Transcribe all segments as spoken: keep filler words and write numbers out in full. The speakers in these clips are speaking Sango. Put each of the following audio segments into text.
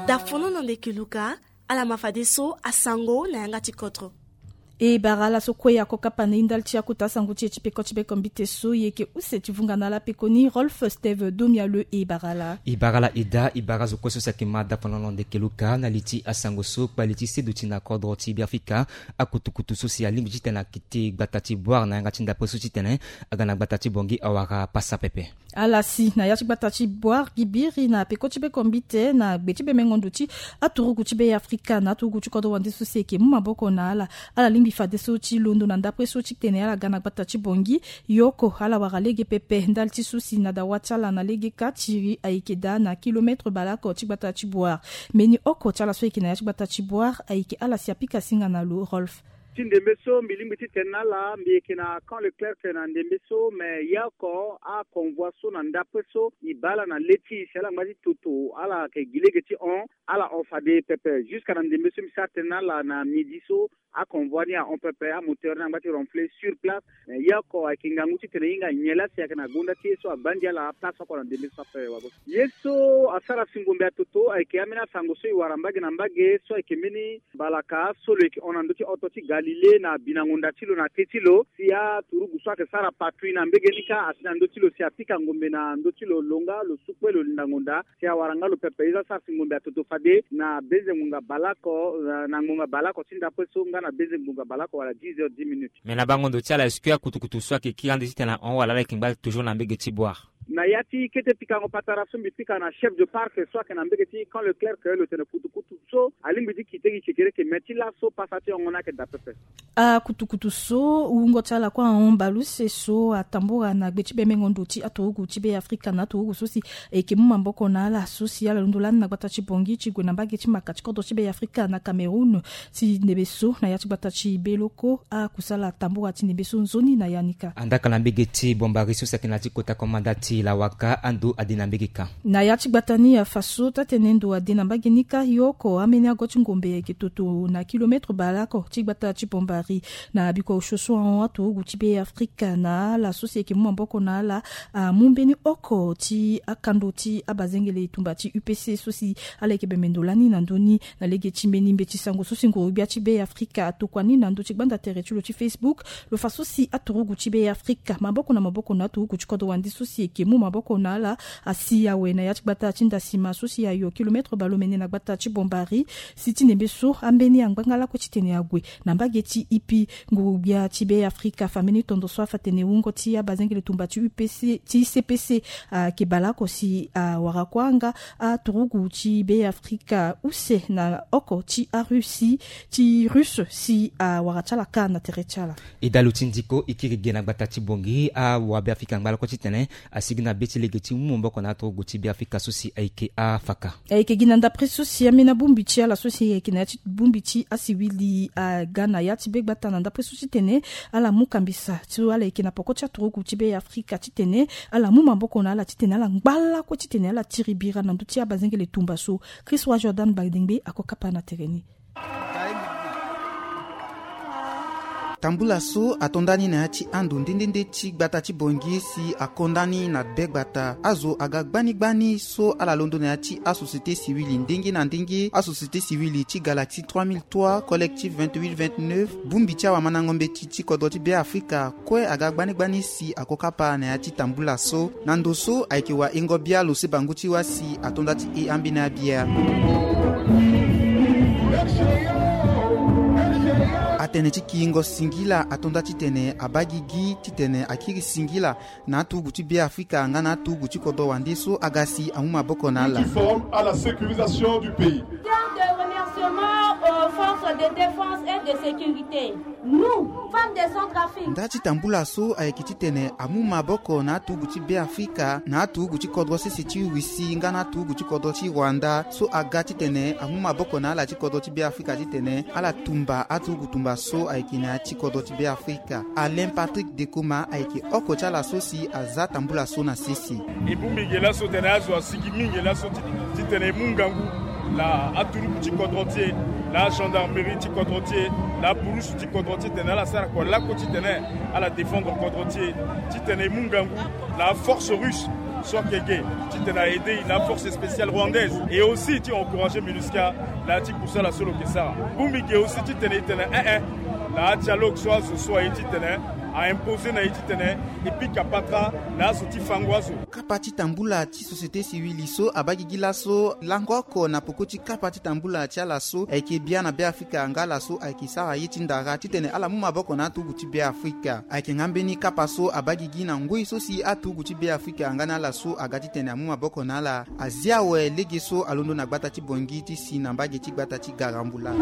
Dafono na ndeke luka. Ala ma fadeso asango na yanga ti kodro. E bara ala so kue ako kapa na e ndali ti akota asango ti e ti peko ti beko mbite so e yeke use ti vunga na ala pekoni Rolf Steve Domialeu. E bara ala. E bara ala eda, e bara azo kue so si ayeke ma dafono na ndeke luka na li ti asango so kpali ti seduti na kodro ti Beafrika. Akutukutu so si alingbi titene akete gbata ti Boire na yanga ti ndapre so titene aga na gbata ti Bangui awara pasa pepe. Ala si na ya ti gbata ti Boire gi biri na peko ti beko mbite na gbe ti bemengo ndo ti aturugu ti Beafrika na aturugu ti kodro wande so si e yeke mu maboko na ala. Ala lingbi fadeso ti londo na ndapre so titene ala ga na gbata ti Bangui. Ye oko ala wara lege pepe ndali ti so si na dawa ti ala na lege ka tiri ayeke daa na kilometre baleoko ti gbata ti Boire. Mbeni oko ti ala so ayeke na ya ti gbata ti Boire ayeke ala si apika singa na lo Rolf. Ti ndembe so mbi lingbi titene na ala mbi yeke na Camp Leclerc na ndembe so, me ye oko aconvoi so na ndapre so e baa ala na le ti e si ala ngba ti toto, ala yeke gi lege ti hon, ala hon fade pepe. Jusqu'à na ndembe so mbi sara tene na ala na midi so aconvoi ni ahon pepe, amoteur ni angba ti ronfler sur place. Me ye oko ayeke ngangu titene e hinga nyen laa si ayeke na gonda ti ye so agba ndia ala place oko na ndembe so ape wago. Ye so asara si ngombe atoto ayeke ambeni asango so e wara mbage na mbage so ayeke mbeni mbalaka so lo yeke hon na ndö ti hoto ti Galilée na binango nda ti lo na te ti lo, si aturugu so ayeke sara patrouille na mbege ni kâ asi na ndö ti lo si apika ngombe na ndö ti lo, lo nga lo su kue lo linda ngonda si awara nga lo pepe. E za sara si ngombe atoto fade na benze ngbonga baleoko, na ngbonga baleoko ti ndapre so nga na benze ngbonga baleoko wala dix heures dix minutes. Me na bango ndo ti ala est-ce que akutukutu so ayeke kiri ande titene ahon wala ala yeke ngba toujours na mbege ti Boire? Na ya ti kete pikango patara so mbi pika na chef de parc so ayeke na mbege ti Camp Leclerc, lo tene kutukutu so alingbi ti kite gi kekereke, me ti laso pasa ti hongo ni ayeke daa pepe. Akutukutu so wungo ti ala kue ahon baleuse so atambula na gbe ti bemengo ndo ti aturugu ti Beafrika na aturugu so si e yeke mu maboko na ala so si ala londo lani na gbata ti Bangui ti gue na mbage ti maka ti kodro ti Beafrika na Cameroun. Ti ndembe so na ya ti gbata ti Beloko akusala atambula ti ndembe so nzoni na ya ni kâ. Andaka na mbege ti Bombari so si ayeke na ya ti kota komanda ti Lawaka, ando ade na mbege kâ. Na ya ti gbata ni afa so taa-tene ndo ade na mbage ni kâ, ye oko ambeni ago ti ngombe ayeke toto na kilometre baleoko ti gbata ti Bombari. Na bikua osio so ahon aturugu ti Beafrika na ala so si e yeke mu maboko na ala amu mbeni oko ti akando ti abazengele tumba ti U P C so si ala yeke bembe ndo lani na ndö ni. Na lege ti mbeni mbeti sango so si nguru-gbia ti Beafrika atokua ni na ndö ti gbanda tere ti lo ti Facebook, lo fa so si aturugu ti Beafrika maboko na maboko na aturugu ti kodro wande so si e yeke mu maboko na ala asi awe na ya ti gbata ti Ndasima so si ayo kilometre baleomene na gbata ti Bombari. Si ti ndembe so ambeni angbanga lakue titene ague na mbage ti Ipi. Nguru-gbia ti Beafrika afa mbeni tondo so afa tene wungo ti abazengele tumba ti U P C ti C P C ayeke baleoko si awara kue anga aturugu ti Beafrika use na oko ti Arussie ti Russe si awara ti ala kâ na tere ti ala. E dalu ti ndiko e kiri ge na gbata ti Bangui, awabeafrika angba lakue titene asigi na be ti lege ti mu maboko na aturugu ti Beafrika so si ayeke afaka. Ayeke gi na ndapre so si ambeni abongbi ti ala so si ayeke na ya ti bongbi ti asiwili aga na ya ti be gbata na ndapre so titene ala mu kambisa so ala yeke na poko ti aturugu ti Beafrika titene ala mu maboko na ala titene ala ngba lakue titene ala tiri bira na ndö ti abazengele tumba so. Christ Roi Jordan Badengbe ako kapa na tere ni. Tambula so ato nda ni na ya ti ando nde nde nde ti gbata ti Bangui si ako nda ni na be gbata. Azo aga gbani gbani so ala londo na ya ti asociété civile ndenge na ndenge, asociété civile ti Galaxie trois mille trois, Collectif vingt-huit vingt-neuf, bongbi ti awamandango mbeti ti kodro ti Beafrika kue aga gbani gbani si ako kapa na ya ti tambula so. Na ndo so ayeke wahingo bia lo se bangu ti wâ si ato nda ti e ambeni abia. Atene ti kiringo singila ato nda titene abaa gigi titene akiri singila na aturugu ti Beafrika nga na aturugu ti kodro wande so aga si amu maboko na ala. Qui forme à la sécurisation du pays. Terme de remerciement aux forces de défense et de sécurité. Nous, femmes de Centrafrique. Nda ti tambula so ayeke titene amu maboko na aturugu ti Beafrika, na aturugu ti kodro sese ti Russie nga na aturugu ti kodro ti Rwanda so aga titene amu maboko na ala ti kodro ti Beafrika titene ala tumba aturugu tumba so ayeke na ya ti kodro ti Beafrika. Alain Patrick Dekoma ayeke oko ti ala so si aza tambula so na sese. E bongbi ge laso tene azo asigi mingi laso ti, titene e mu ngangu na aturugu ti kodro ti e, na agendarmerie ti kodro ti e, na apurusu ti kodro ti e, titene ala sara kua lakue titene ala défendre kodro ti e, titene e mu ngangu na aforce russe So ayeke ge titene a aide e na force spéciale rwandaise, et aussi ti encourager MINUSCA na ya ti kusala so lo yeke sara. Bongbi ge aussi titene e tene ee, na adialogue so azo so aye titene a imposer na e titene e pika patara na azo ti fango azo. Kapa ti tambula ti société civile so abaa gigi laso lango oko na peko ti kapa ti tambula ti ala so ayeke bia na Beafrika nga ala so ayeke sara ye ti ndara titene ala mu maboko na aturugu ti Beafrika. Ayeke nga mbeni kapa so abaa gigi na ngoi so si aturugu ti Beafrika nga na ala so aga titene amu maboko na ala. Azia awe lege so alondo na gbata ti Bangui ti si na mbage ti gbata ti Garambula.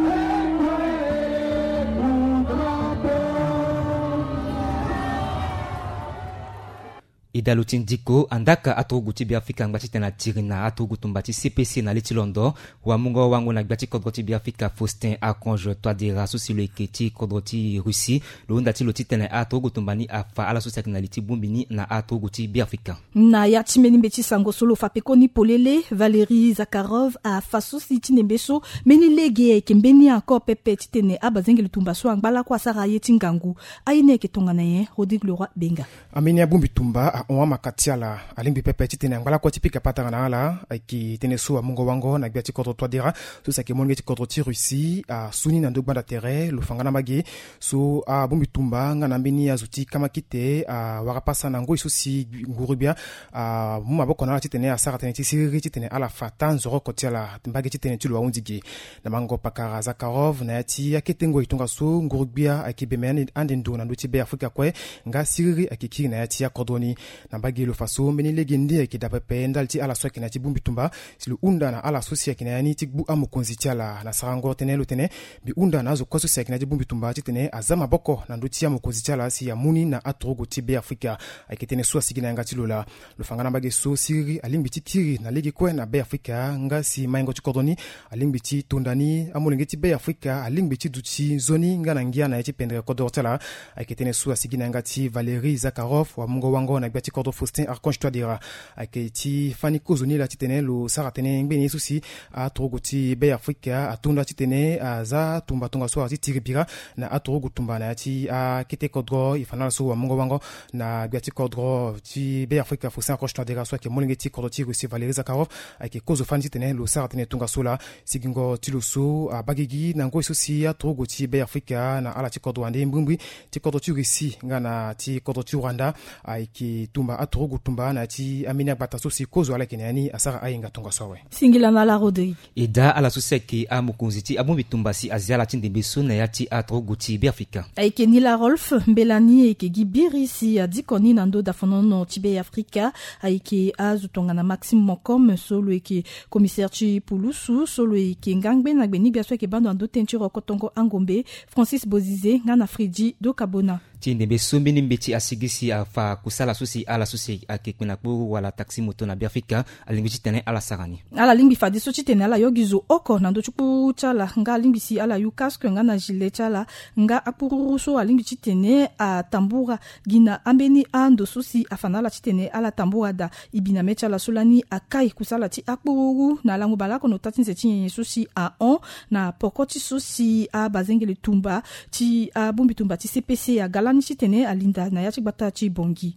E daa lo ti ndiko, andaka aturugu ti Beafrika angba titene atiri na aturugu tumba ti C P C na le ti londo. Wamungo wango na gbia ti kodro ti Beafrika Faustin Archange Touadéra so si lo yeke ti kodro ti Russie, lo hunda ti lo titene aturugu tumba ni afa ala so si ayeke na li ti bongbi ni na aturugu ti Beafrika. Na ya ti mbeni mbeti sango so lo fa pekoni polele, Valérie Zakharov afa so si ti ndembe so mbeni lege ayeke mbeni encore pepe titene abazengeli tumba so angba lakue asara ye ti ngangu. Aye ni ayeke tongana nyen? Rodrigue Leroy Benga. Ambeni abongbi tumba ahon amaka ti ala, alingbi pepe titene angba lakue ti pika patara na ala. Ayeke tënë so amungo wango na gbia ti kodro Touadéra so si ayeke molenge ti kodro ti Russie asu ni na ndo gbanda tere. Lo fa nga na mbage so abongbi tumba nga na mbeni azo ti kamakite awara pasa na ngoi so si nguru-gbia amu maboko na ala titene asara tënë ti siriri titene ala fa taa nzoroko ti ala. Mbage ti tënë ti lo ahunzi ge. Na mango pakara Zakharov na ya ti akete ngoi tongaso, nguru-gbia ayeke bembe ande, ande ndo na ndö ti Beafrika kue, nga siriri ayeke kiri na ya ti akodro ni. Na mbage lo fa so mbeni lege nde ayeke daa pepe ndali ti ala so ayeke na ya ti bongbi tumba, si lo hunda na ala so si ayeke na ya ni ti gbu amokonzi ti ala. Na sarango tënë lo tene, mbi hunda na azo kue so si ayeke na ya ti bongbi tumba titene aza maboko na ndö ti amokonzi ti ala si amu ni na aturugu ti Beafrika. Ayeke tënë so asigi na yanga ti lo laa. Lo fa nga na mbage so siriri alingbi ti kiri na lege kue na Beafrika, nga si maingo ti kodro ni alingbi ti tonda ni, amolenge ti Beafrika alingbi ti duti nzoni nga na ngia na ya ti pendere kodro ti ala. Ayeke tënë so asigi na yanga ti Valérie Zakharov, wamungo wango na gbia ti kodro Faustin Archange Touadéra. Ayeke ti fani kozo ni laa titene lo sara tënë ngbene ye so si aturugu ti Beafrika atonda titene aza tumba tongaso ala ti tiri bira na aturugu tumba na ya ti akete kodro. E fa na ala so wamungo wango na gbia ti kodro ti Beafrika Faustin Archange Touadéra so ayeke molenge ti kodro ti Russie Valérie Zakharov ayeke kozo fani titene lo sara tënë tongaso laa. Sigingo ti lo so abaa gigi na ngoi so si aturugu ti Beafrika na ala ti kodro wande mbrimbri ti kodro ti Russie nga na ti kodro ti Rwanda ayeke tumba aturugu tumba na ya ti ambeni agbata so si kozo ala yeke na ya ni asara ahinga tongaso awe. Singila na ala Rodrigue. E daa ala so si ayeke amokonzi ti abongbi tumba si azia ala ti ndembe so na ya ti aturugu ti Beafrika. Ayeke Nila Rolf, mbela ni ayeke gi biri si adiko ni na ndö dafanono ti Beafrika. Ayeke azo tongana Maxime Moncom so lo yeke commissaire ti pulusu, so lo yeke nga ngbe na gbe ni gbia so ayeke baa ndo na ndö tënë ti rokotongo angombe, Francis Bozize nga na Freddy Dokabona. Ti ndembe so mbeni mbeti asigi si afa kusala so si ala so si ayeke kpe na kpuru wala taxi moto na Beafrika alingbi titene ala sara ni. Ala lingbi fadeso titene ala yo gi zo oko na ndö ti kpuru ti ala, nga alingbi si ala yu casque nga na gilet ti ala, nga akpururu so alingbi titene atambura gi na ambeni ando so si afa na ala titene ala tambura daa. E bi na mê ti ala so lani akai kusala ti akpururu na lango bale oko na ota ti nze ti nyenye so si ahon na poko ti so si abazengele tumba ti abongbi tumba ti C P C aga lani titene alinda na ya ti gbata ti Bangui.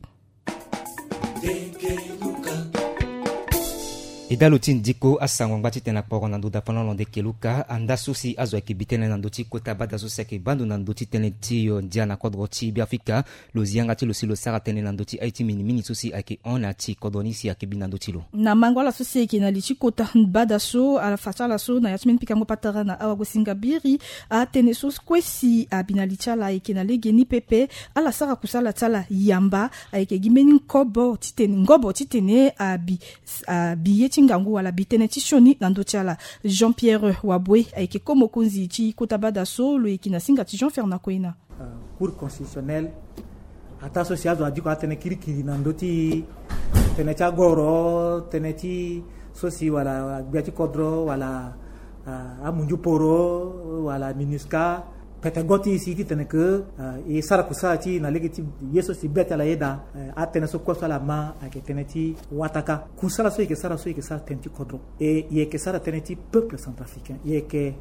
E daa lo ti ndiko asango angba titene akporo na ndo dafano londe keluka anda so si azo ayeke bi tënë na ndö ti kota bada so si ayeke baa ndo na ndö ti tënë ti yo ndia na kodro ti Beafrika. Lo zi yanga ti lo si lo sara tënë na ndö ti aye ti minimini so si ayeke hon na ya ti kodro ni si ayeke bi na ndö ti lo. Na mango ala so si ayeke na li ti kota bada so ala fa ti ala so na ya ti mbeni pikango patara na awagosinga biri. Atënë so kue si abi na li ti ala ayeke na legeni pepe. Ala sara kusala ti ala yamba. Ayeke gi mbeni nkobo titene, ngobo titene abi, abi ye ti ngangu wala abi tënë ti sioni na ndö ti ala. Jean Pierre Waboué ayeke ko mokonzi ti kota bada so lo yeke na singa ti Jean Fernand Koena. Cour constitutionnelle, ataa so si azo adiko atënë kirikiri na ndö ti tënë ti agoro, tënë ti so si wala gbia ti kodro wala amunju poro wala MINUSCA, pete go ti e si titene ke e sara kusala ti e na lege ti ye so si be ti ala yeda. Atënë so kue so ala ma ayeke tënë ti wataka. Kusala so e yeke sara so e yeke sara tënë ti kodro, e e yeke sara tënë ti peuple centrafricain, e yeke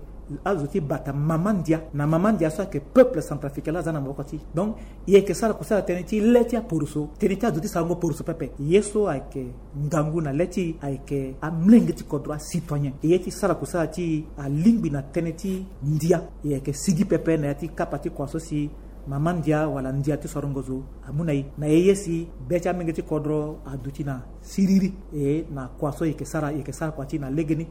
azo ti bata mama ndia na mama ndia so ayeke peuple centrafricain la aza na maboko ti. Donc e yeke sara kusala tënë ti le ti aporoso, tënë ti azo ti sarango poroso pepe. Ye so ayeke ngangu na le ti e ayeke amlenge ti kodro, acitoyen. E ye ti sara kusala ti e alingbi na tënë ti ndia. E yeke sigi pepe na ya ti kapa ti kua so si mama ndia wala ndia ti sorongo zo amu na e. Na ye ye si be ti amenge ti kodro aduti na siriri. E na kua so e yeke sara, e yeke sara kua ti e na legeni.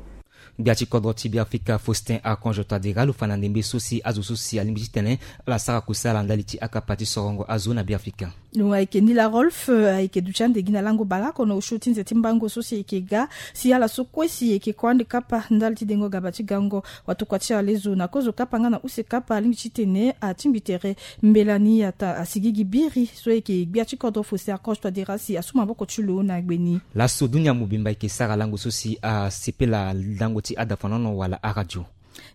Gbia ti kodro ti Beafrika Faustin Archange Touadéra lo fa na ndembe so si azo so si alingbi titene ala sara kusala ndali ti akapa ti sorongo azo na Beafrika. Lo ayeke Nila Rolf, eh, ayeke duti ande gi na lango bale oko na osio ti nze ti mbango so si e yeke ga, si ala so kue si e yeke kue ande kapa ndali ti dengo gaba ti gango watokua ti alezo na kozo kapa nga na use kapa alingbi titene atingbi tere mbela ni ata asigigi biri so e yeke gbia ti kodro Faustin Archange Touadéra si asu maboko ti lo na gbe ni. Laso dunia mobimba e yeke sara lango so si asepela lango ti adafonono wala aradio.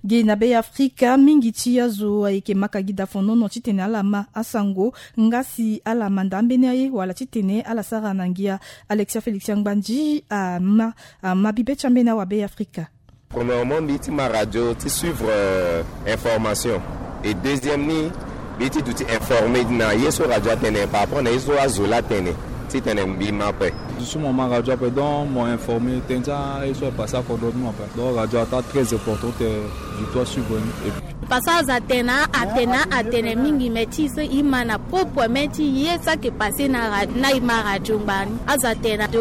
Ge na Beafrika, mingi ti azo ayeke maka gi dafonono titene ala ma asango nga si ala manda ambeni aye wala titene ala sara na ngia. Alexia Félix Angbandi ama, ama bibe ti ambeni awa Beafrika. Premièrement, mbi ti ma radio ti suivre, euh, information. Et deuxième ni, mbi ti duti informé na ye so radio atene par rapport na ye so azo la atene, titene mbi ma ape. Duti mo ma radio ape, donc mo informé tënë ti aye so apassé akodro ti mo ape. Donc radio ata très importante, euh, du toi suivre ni. Et puis Parce que azo atene, atene, atene mingi, mais ti so e ma na propre main ti ye so ayeke passé na ra-, na e ma radio ngbani. Azo atene do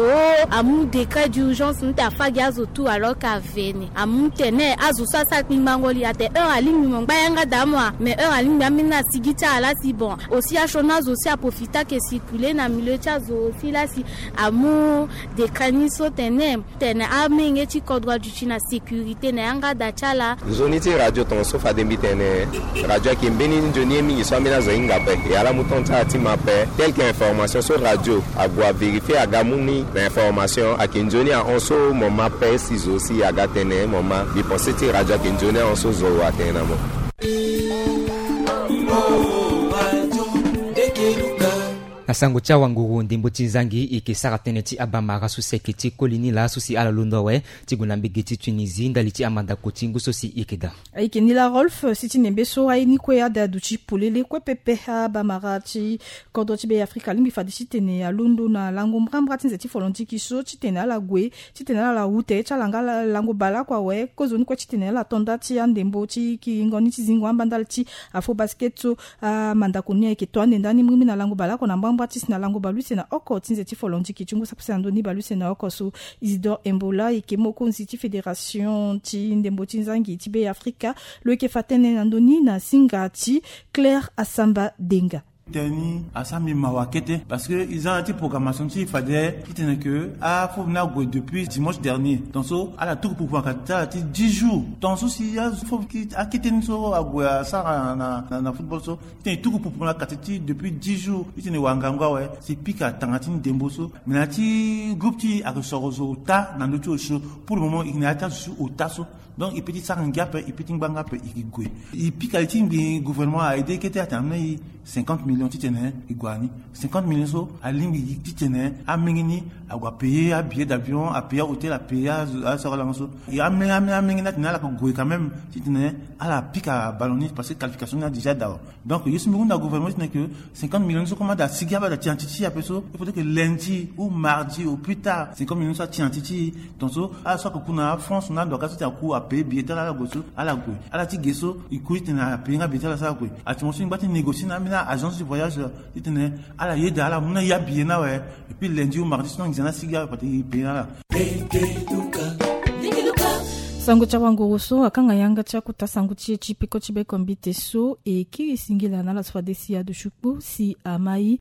amu décret d'urgence ni te afa gi azo tout, alors que aveni amu tene azo so asara kpingbango li ate heure alingbi mo ngba yanga da amoa, mais heure alingbi ambeni asigi ti ala si bon. Aussi asioni azo si aprofité ake circuler na milieu ti azo aussi la si amu décret ni so tene, tene amenge ti kodro aduti na sécurité na yanga da ti ala. Nzoni ti radio tongaso fade mbi tene radio ayeke mbeni nzoni ye mingi so ambeni azo ahinga ape. E ala mu temps ti ala ti ma ape. Tel que information so radio ague avérifier aga mu ni na information ayeke nzoni ahon so mo ma ape si zo si aga tene mo ma. Mbi pensé ti radio ayeke nzoni ahon so zo atene na mo. Na sango ti awanguru ndembo ti nzangi e yeke sara tënë ti abamara so si ayeke ti koli ni laa so si ala londo awe ti gue na mbege ti Tunisie ndali ti amandako ti ngu so si e yeke daa. Ayeke Nila Rolf si ti nembe so aye ni kue ada aduti polele kue pepe. Abamara ti kodro ti Beafrika alingbi fade titene alondo na lango mbrambra ti nze ti folondiki so titene ala gue titene ala wu tere ti ala nga lango bale oko awe. Kozoni kue titene ala to nda ti andembo ti kiringo ni ti zingo amba ndali ti afo basket so. Amandako ni ayeke to ande ndani mbirimbiri na lango bale oko na mbrambra ti si na lango bale use na oko ti nze ti folondiki ti ngu sapose na ndoni bale use na oko so. Isidore Embola ayeke mokonzi ti fédération ti ndembo ti nzangi ti Beafrika. Lo yeke fa tënë na ndoni na singa ti Claire Asamba Denga. Tënë ni asara mbi mawa kete parce que e za na ya ti programmation ti e fade titene ke afo ni ague depuis dimanche dernier. Tongaso ala tuku pupu na kati ti ala ti dix jours. Tongaso si afo akete ni so ague asara na, na, na football so titene e tuku pupu na kati ti depuis dix jours. Titene e wara ngangu awe si e pika tanga ti ndembo so. Mais na ya ti groupe ti e ayeke soro zo ota na ndö ti osio. Pour le moment e yeke na ya ti azo so ota so. Donc e peut ti sara ngia ape, e peut ti ngbanga ape, e ke gue. E pika li ti mbi gouvernement a aidé kete atene ameni cinquante millions titene e gue na ni. Cinquante millions so alingbi titene amenge ni ague apayer abillet d'avion, apayer ahôtel, apayer asoro lango so. E amenge, amenge, amenge ni atene ala ke gue quand même titene ala pika ballon ni parce que qualification ni a déjà daa. Donc ye so mbi hunda gouvernement titene ke cinquante millions so comme ada sigi aba da ti na ti ti ape so, il faudrait que lundi ou mardi au plus tard cinquante millions so ati na ti ti. Tongaso ala so ake ku na France na ando aka so ti aku apayer billet ti ala, ala gue so ala gue. Ala ti ge so e ku titene apayer nga billet ti ala so ala gue. Ati mo so e ngba ti négocier na ambeni agence du voyage titene ala yeda ala mu na e abillet ni awe. Et puis lundi ou mardi so na nginza ni asigi awe parce que e payer na ala. Sango ti awanguru so akanga yanga ti akota sango ti e ti peko ti bekombite so e kiri singila na ala so fade si aduti kpo si amai.